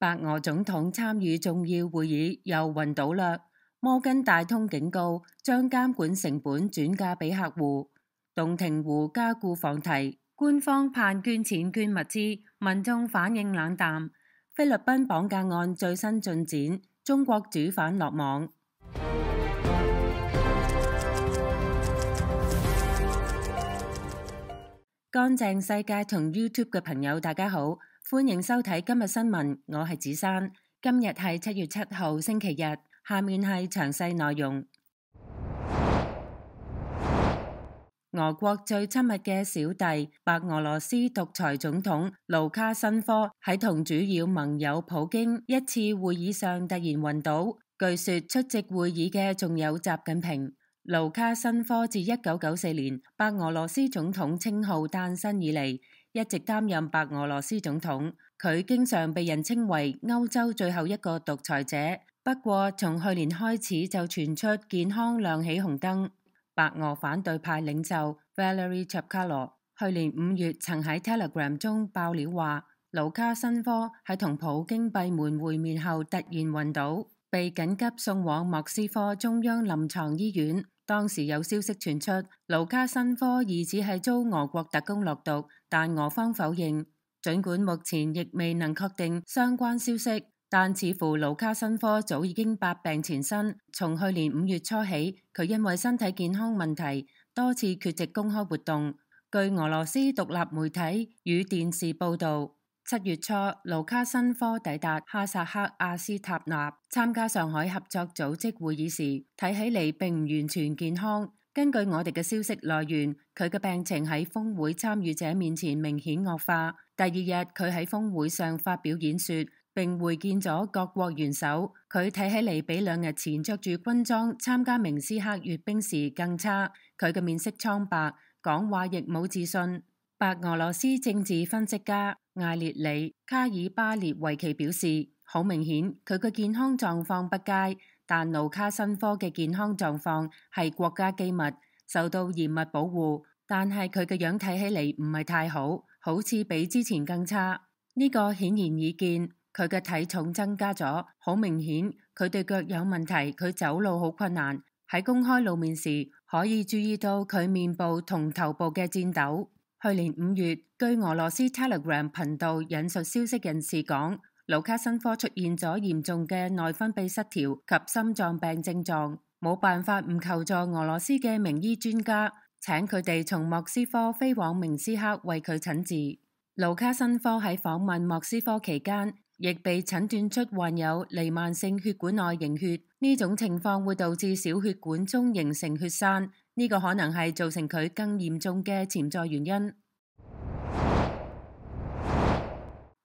白俄總統參與重要會議又暈倒啦。摩根大通警告將監管成本轉嫁俾客戶。洞庭湖加固放題，官方盼捐錢捐物資，民眾反應冷淡。菲律賓綁架案最新進展，中國主犯落網。乾淨世界同 YouTube 嘅朋友大家好，歡迎收睇今日新聞，我係子珊。今日係7月7號星期日，下面係詳細內容。俄國最親密嘅小弟白俄羅斯獨裁總統盧卡申科喺同主要盟友普京一次會議上突然暈倒，據說出席會議嘅仲有習近平。盧卡申科自1994年白俄羅斯總統稱號誕生以嚟，一直擔任白俄羅斯總統。佢經常被人稱為歐洲最後一個獨裁者。不過從去年開始就傳出健康亮起紅燈。白俄反對派領袖 Valery Chapkalo 去年5月曾喺 Telegram 中爆料話，盧卡申科喺同普京閉門會面後突然暈倒，被緊急送往莫斯科中央臨床醫院。當時有消息傳出，盧卡申科疑似係遭俄國特工落毒，但俄方否認。儘管目前亦未能確定相關消息，但似乎盧卡申科早已經百病纏身。從去年5月初起，佢因為身體健康問題，多次缺席公開活動。據俄羅斯獨立媒體與電視報導，7月初，盧卡申科抵達哈薩克阿斯塔納參加上海合作組織會議時，睇起嚟並唔完全健康。根據我哋嘅消息來源，佢嘅病情喺峰會參與者面前明顯惡化。第二日，佢喺峰會上發表演說，並會見咗各國元首。佢睇起嚟比2日前着住軍裝參加明斯克閱兵時更差。佢嘅面色蒼白，講話亦冇自信。白俄羅斯政治分析家艾列里卡爾巴列維奇表示，好明顯佢嘅健康狀況不佳，但盧卡申科嘅健康狀況係國家機密，受到嚴密保護。但係佢嘅樣睇起嚟唔係太好，好似比之前更差。呢個顯然易見，佢嘅體重增加咗，好明顯佢對腳有問題，佢走路好困難。喺公開露面時，可以注意到佢面部同頭部嘅顫抖。去年5月，據俄羅斯 Telegram 頻道引述消息人士講，盧卡申科出現咗嚴重嘅內分泌失調及心臟病症狀，冇辦法唔求助俄羅斯嘅名醫專家，請佢哋從莫斯科飛往明斯克為佢診治。盧卡申科喺訪問莫斯科期間，亦被診斷出患有彌漫性血管內凝血，呢種情況會導致小血管中形成血栓，呢個可能係造成佢更嚴重嘅潛在原因。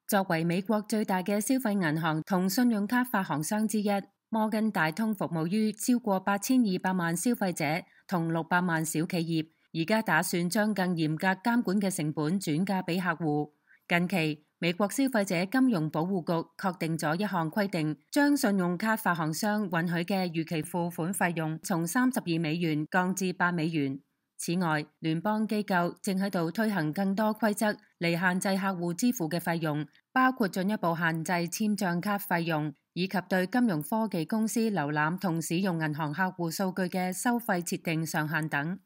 作為美國最大嘅消費銀行同信用卡發行商之一，摩根大通服務於超過8200萬消費者同600萬小企業，而家打算將更嚴格監管嘅成本轉嫁俾客戶。近期，美國消費者金融保護局確定咗一項規定，將信用卡發行商允許嘅逾期付款費用從32美元降至8美元。此外，聯邦機構正喺度推行更多規則嚟限制客戶支付嘅費用，包括進一步限制簽賬卡費用，以及對金融科技公司瀏覽同使用銀行客戶數據嘅收費設定上限等。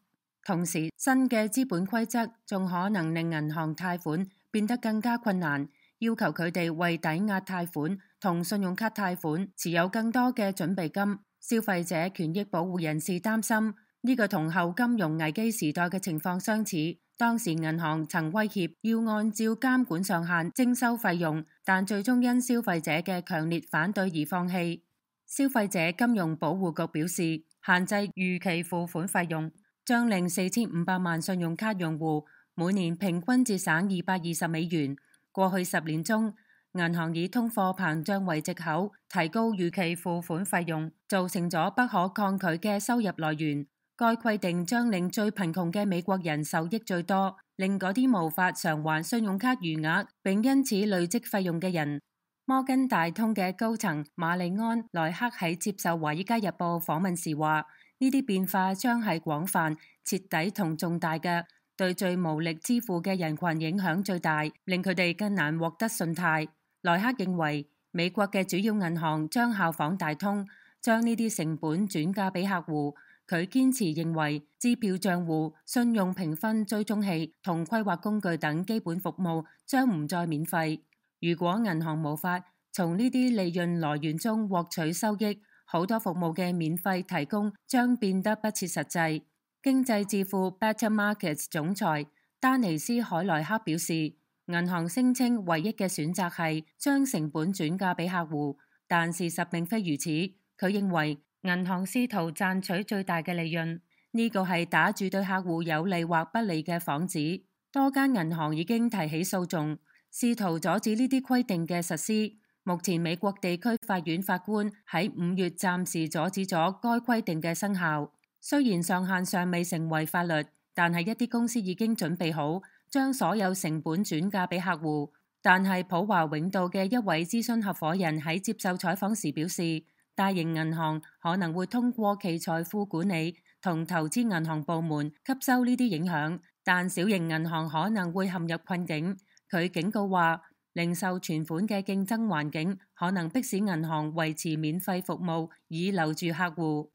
同時，新嘅資本規則仲可能令銀行貸款變得更加困難，要求佢哋為抵押貸款同信用卡貸款持有更多嘅準備金。消費者權益保護人士擔心，呢個同後金融危機時代嘅情況相似。當時銀行曾威脅要按照監管上限徵收費用，但最終因消費者嘅強烈反對而放棄。消費者金融保護局表示，限制逾期付款費用將令4500萬信用卡用戶每年平均節省220美元。過去10年中，銀行以通貨膨脹為藉口提高逾期付款費用，造成咗不可抗拒嘅收入來源。該規定將令最貧窮嘅美國人受益最多，令嗰啲無法償還信用卡餘額並因此累積費用嘅人。摩根大通嘅高層瑪麗安·萊克喺接受《華爾街日報》訪問時話：呢啲變化將係廣泛、徹底同重大嘅，對最無力支付嘅人群影響最大，令佢哋更難獲得信貸。萊克認為，美國嘅主要銀行將效仿大通，將呢啲成本轉嫁俾客戶。佢堅持認為支票帳戶、信用評分追蹤器同規劃工具等基本服務將唔再免費。如果銀行無法從呢啲利潤來源中獲取收益，好多服務嘅免費提供將變得不切實際。經濟智庫 Better Markets 總裁丹尼斯海萊克表示，銀行聲稱唯一嘅選擇係將成本轉嫁俾客戶，但事實並非如此。佢認為銀行試圖賺取最大嘅利潤，呢個係打住對客戶有利或不利嘅幌子。多間銀行已經提起訴訟，試圖阻止呢啲規定嘅實施。目前美國地區法院法官喺5月暫時阻止咗該規定嘅生效。雖然上限尚未成為法律，但係一啲公司已經準備好將所有成本轉嫁俾客戶。但係普華永道嘅一位諮詢合夥人喺接受採訪時表示，大型銀行可能會通過其財富管理同投資銀行部門吸收呢啲影響，但小型銀行可能會陷入困境。佢警告話，零售存款嘅競爭環境可能迫使銀行維持免費服務以留住客戶。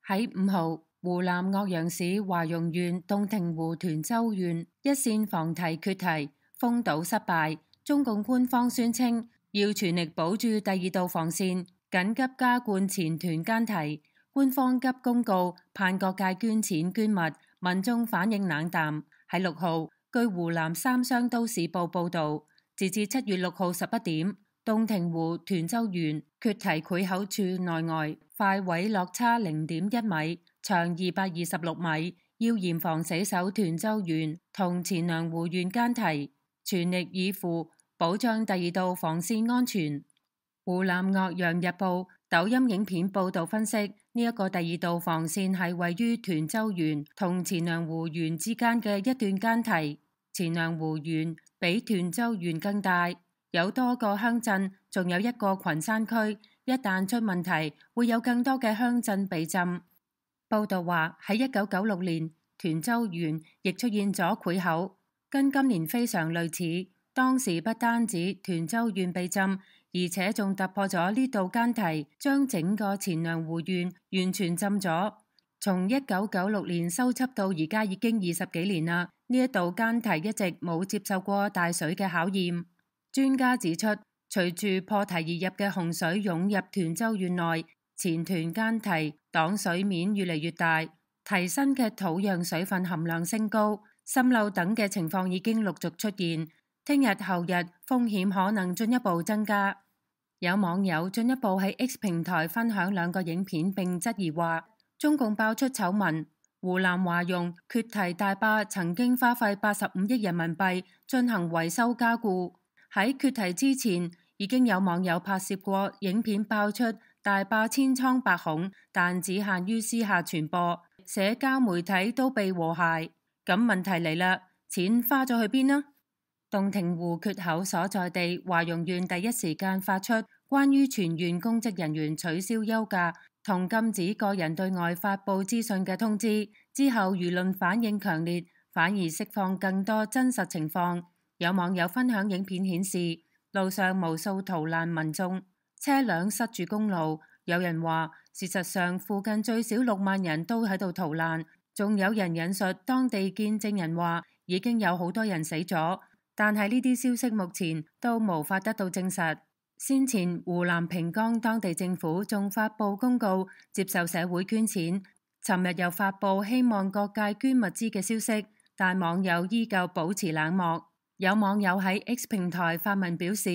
喺5號，湖南岳陽市華容縣洞庭湖涿州縣一線防堤決堤，封堵失敗。中共官方宣稱要全力保住第2道防線，緊急加灌前涿間堤。官方急公告盼各界捐錢捐物，民眾反應冷淡。喺6號，據湖南三湘都市報報導，截至7月6號11點，洞庭湖涿州縣決堤潰口處內外快毀落差0.1米，長226米，要嚴防死守涿州縣同錢糧湖縣間堤，全力以赴保障第2道防線安全。湖南岳陽日報抖音影片報導分析，呢一個第2道防線係位於涿州縣同錢糧湖縣之間嘅一段間堤。錢糧湖縣比涿州縣更大，有多個鄉鎮，仲有一個群山區。一旦出問題，會有更多嘅鄉鎮被浸。報導話喺1996年，涿州縣亦出現咗潰口，跟今年非常類似。當時不單止涿州縣被浸，而且仲突破咗呢道間堤，將整個錢糧湖縣完全浸咗。從1996年修葺到而家已經20幾年啦，呢一道間堤一直冇接受過大水嘅考驗。專家指出，隨住破堤而入嘅洪水湧入涿州縣內，前涿間堤擋水面越嚟越大，堤身嘅土壤水分含量升高，滲漏等嘅情況已經陸續出現。聽日後日風險可能進一步增加。有網友進一步喺 X 平台分享2個影片並質疑話，中共爆出醜聞，湖南華容決堤大壩曾經花費85億人民幣進行維修加固。喺決堤之前，已經有網友拍攝過影片爆出大壩千瘡百孔，但只限於私下傳播，社交媒體都被和諧。咁問題嚟啦，錢花咗去邊呢？洞庭湖決口所在地華容縣第一時間發出關於全縣公職人員取消休假同禁止個人對外發佈資訊嘅通知，之後輿論反應強烈，反而釋放更多真實情況。有網友分享影片顯示，路上無數逃難民眾，車輛塞住公路。有人話，事實上附近最少6萬人都喺度逃難。仲有人引述當地見證人話，已經有好多人死咗。但係呢啲消息目前都無法得到證實。先前湖南平江當地政府仲發佈公告接受社會捐錢，尋日又發佈希望各界捐物資嘅消息，但網友依舊保持冷漠。有網友喺 X 平台發文表示，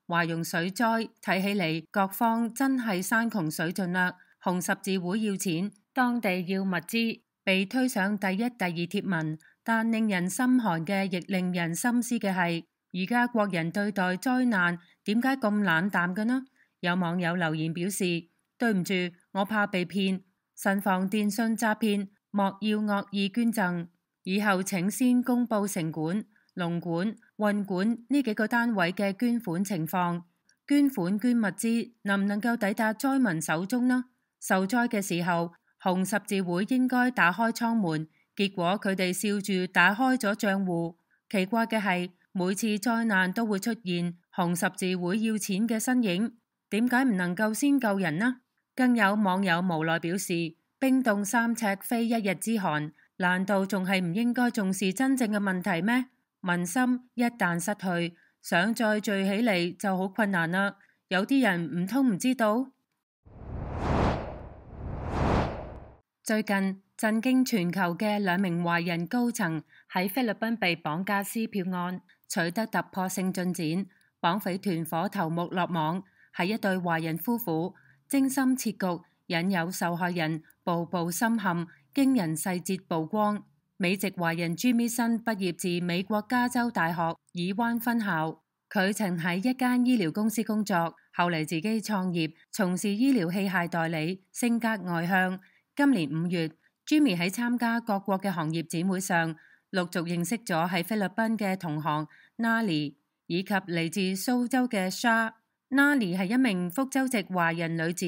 華容水災睇起嚟各方真係山窮水盡啦，紅十字會要錢，當地要物資，被推上第1、第2貼文。但令人心寒嘅，亦令人深思嘅係，而家國人對待災難點解咁冷淡嘅呢？有網友留言表示，對唔住，我怕被騙，慎防電信詐騙，莫要惡意捐贈，以後請先公布城管、農管、運管呢幾個單位嘅捐款情況，捐款捐物資能唔能夠抵達災民手中呢？受災嘅時候，紅十字會應該打開倉門。結果佢哋笑住打開咗賬戶。奇怪嘅係，每次災難都會出現紅十字會要錢嘅身影，點解唔能夠先救人呢？更有網友無奈表示：冰凍3尺非一日之寒，難道仲係唔應該重視真正嘅問題咩？民心一旦失去，想再聚起嚟就好困難啦。有啲人唔通唔知道？最近震驚全球嘅2名華人高層喺菲律賓被綁架撕票案取得突破性進展，綁匪團伙頭目落網，係一對華人夫婦，精心設局，引誘受害人步步深陷，驚人細節曝光。美籍華人朱咪新畢業自美國加州大學爾灣分校，佢曾喺一間醫療公司工作，後嚟自己創業，從事醫療器械代理，性格外向。今年5月，Jimmy 喺參加各國嘅行業展會上，陸續認識咗喺菲律賓嘅同行 Nali 以及嚟自蘇州嘅 Shah。Nali 係一名福州籍華人女子，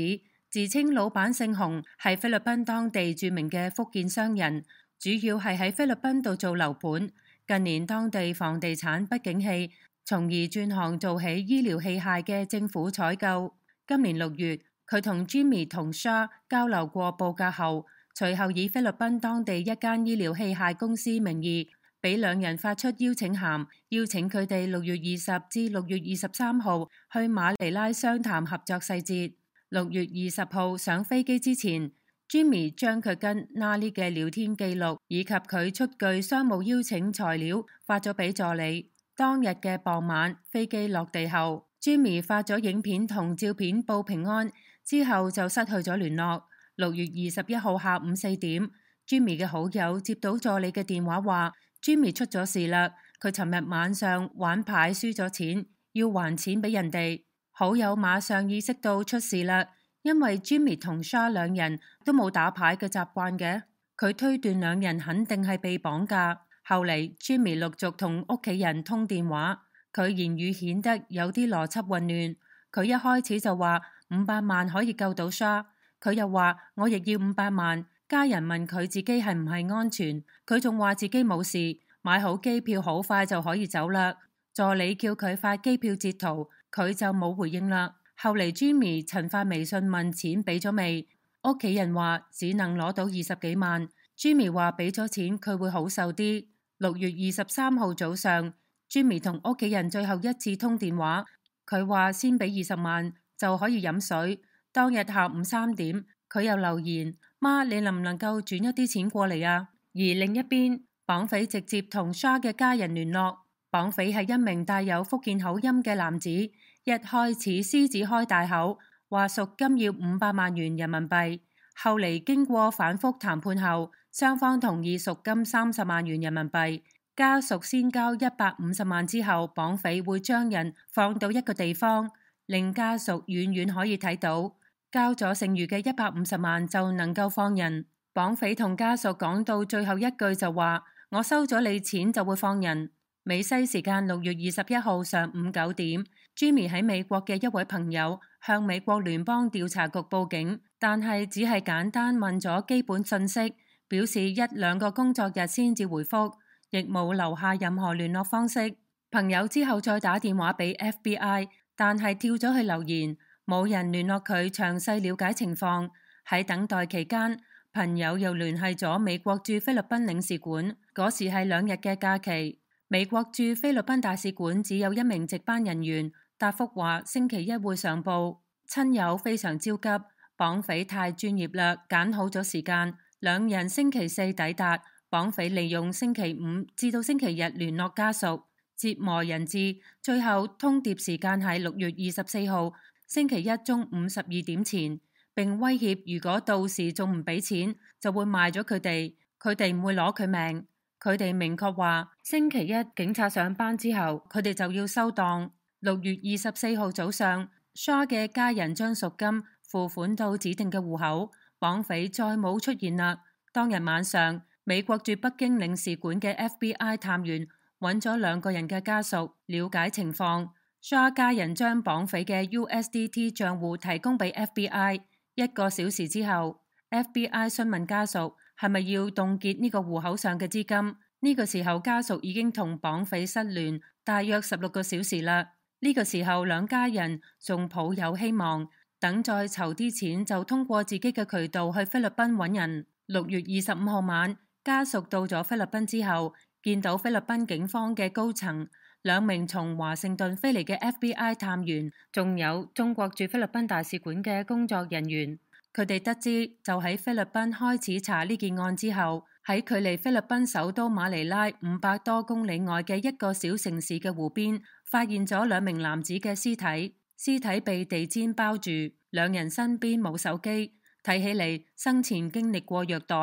自稱老闆姓洪，係菲律賓當地著名嘅福建商人，主要係喺菲律賓度做樓盤。近年當地房地產不景氣，從而轉行做起醫療器械嘅政府採購。今年6月，佢同 Jimmy 同 Shah 交流過報價後，隨後以菲律賓當地一間醫療器械公司名義，俾2人發出邀請函，邀請佢哋6月20至6月23號去馬尼拉商談合作細節。6月20號上飛機之前， Jimmy 將佢跟 Nali 嘅聊天記錄以及佢出具商務邀請材料發咗俾助理。當日嘅傍晚，飛機落地後， Jimmy 發咗影片同照片報平安，之後就失去咗聯絡。6月21號下午4點，Jimmy 嘅好友接到助理嘅電話話 Jimmy 出咗事啦，佢尋日晚上玩牌輸咗錢，要還錢俾人哋。好友馬上意識到出事啦，因為 Jimmy 同 Shah 2人都冇打牌嘅習慣嘅，佢推斷2人肯定係被綁架。後嚟 Jimmy 陸續同屋企人通電話，佢言語顯得有啲邏輯混亂。佢一開始就話500萬可以救到 Shah， 佢又話我亦要500萬。家人問佢自己係唔係安全，佢仲話自己冇事，買好機票好快就可以走啦。助理叫佢發機票截圖，佢就冇回應啦。後嚟 Jimmy 曾發微信問錢俾咗未，屋企人話只能攞到20幾萬。Jimmy 話俾咗錢佢會好受啲。6月23號早上， Jimmy 同屋企人最後一次通電話，佢話先俾20萬就可以飲水。當日下午3點，佢又留言：媽，你能唔能夠轉一啲錢過嚟啊？而另一邊，綁匪直接同 Shah 嘅家人聯絡。綁匪係一名帶有福建口音嘅男子，一開始獅子開大口，話贖金要500萬元人民幣。後嚟經過反覆談判後，雙方同意贖金30萬元人民幣。家屬先交150萬之後，綁匪會將人放到一個地方，令家屬遠遠可以睇到。交咗剩餘嘅150萬就能夠放人。綁匪同家屬講到最後一句就話：我收咗你錢就會放人。美西時間6月21號上午9點，Jimmy 喺美國嘅一位朋友向美國聯邦調查局報警，但係只係簡單問咗基本信息，表示1-2個工作日先至回覆，亦冇留下任何聯絡方式。朋友之後再打電話俾 FBI， 但係跳咗去留言，冇人聯絡佢詳細了解情況。喺等待期間，朋友又聯繫咗美國駐菲律賓領事館，嗰時係2日嘅假期。美國駐菲律賓大使館只有1名值班人員，答覆話星期1會上報。親友非常焦急，綁匪太專業啦，揀好咗時間，2人星期4抵達，綁匪利用星期5至到星期日聯絡家屬，折磨人質，最後通牒時間係6月24號星期1中午12點前，並威脅如果到時仲唔俾錢，就會賣咗佢哋，佢哋唔會攞佢命。佢哋明確話，星期1警察上班之後，佢哋就要收檔。6月24號早上，Shah 嘅家人將贖金付款到指定嘅戶口，綁匪再冇出現啦。當日晚上，美國駐北京領事館嘅 FBI 探員揾咗2個人嘅家屬，了解情況。Shah 家人將綁匪嘅 USDT 賬戶提供俾 FBI。1個小時之後，FBI 詢問家屬係咪要凍結呢個戶口上嘅資金？呢個時候家屬已經同綁匪失聯，大約16個小時啦。呢個時候，兩家人仲抱有希望，等再籌啲錢就通過自己嘅渠道去菲律賓揾人。6月25號晚，家屬到咗菲律賓之後，見到菲律賓警方嘅高層、2名從華盛頓飛嚟嘅 FBI 探員，仲有中國駐菲律賓大使館嘅工作人員。佢哋得知就喺菲律賓開始查呢件案之後，喺距離菲律賓首都馬尼拉500多公里外嘅一個小城市嘅湖邊，發現咗2名男子嘅屍體，屍體被地氈包住，2人身邊冇手機，睇起嚟生前經歷過虐待。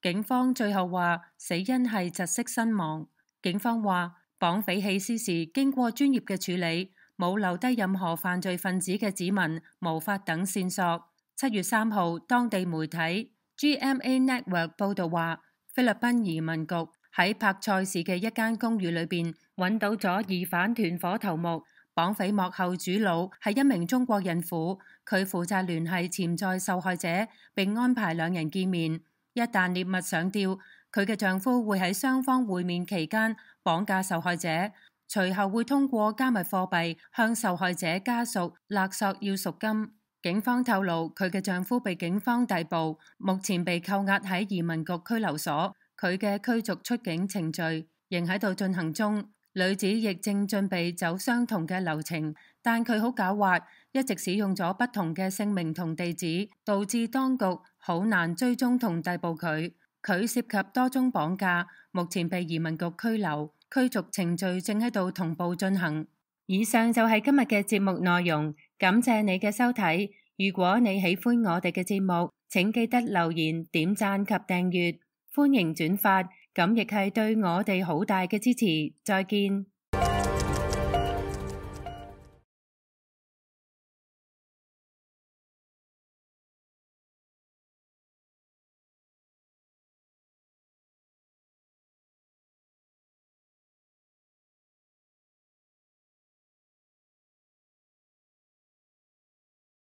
警方最後話死因係窒息身亡。警方話綁匪棄屍時經過專業嘅處理，冇留低任何犯罪分子嘅指紋、毛髮等線索。7月3號，當地媒體 GMA Network 報道話，菲律賓移民局喺柏賽市嘅一間公寓裏邊揾到咗疑犯團伙頭目。綁匪幕後主腦係一名中國孕婦，佢負責聯繫潛在受害者，並安排2人見面。一旦獵物上釣，佢嘅丈夫會喺雙方會面期間綁架受害者，隨後會通過加密貨幣向受害者家屬勒索要贖金。警方透露，佢嘅丈夫被警方逮捕，目前被扣押喺移民局拘留所，佢嘅驅逐出境程序仍喺度進行中。女子亦正準備走相同嘅流程，但佢好狡猾，一直使用咗不同嘅姓名同地址，導致當局好難追蹤同逮捕佢。佢涉及多宗綁架，目前被移民局拘留，驅逐程序正喺度同步進行。以上就係今日嘅節目內容，感謝你嘅收睇。如果你喜歡我哋嘅節目，請記得留言、點讚及訂閱，歡迎轉發，咁亦係對我哋好大嘅支持。再見。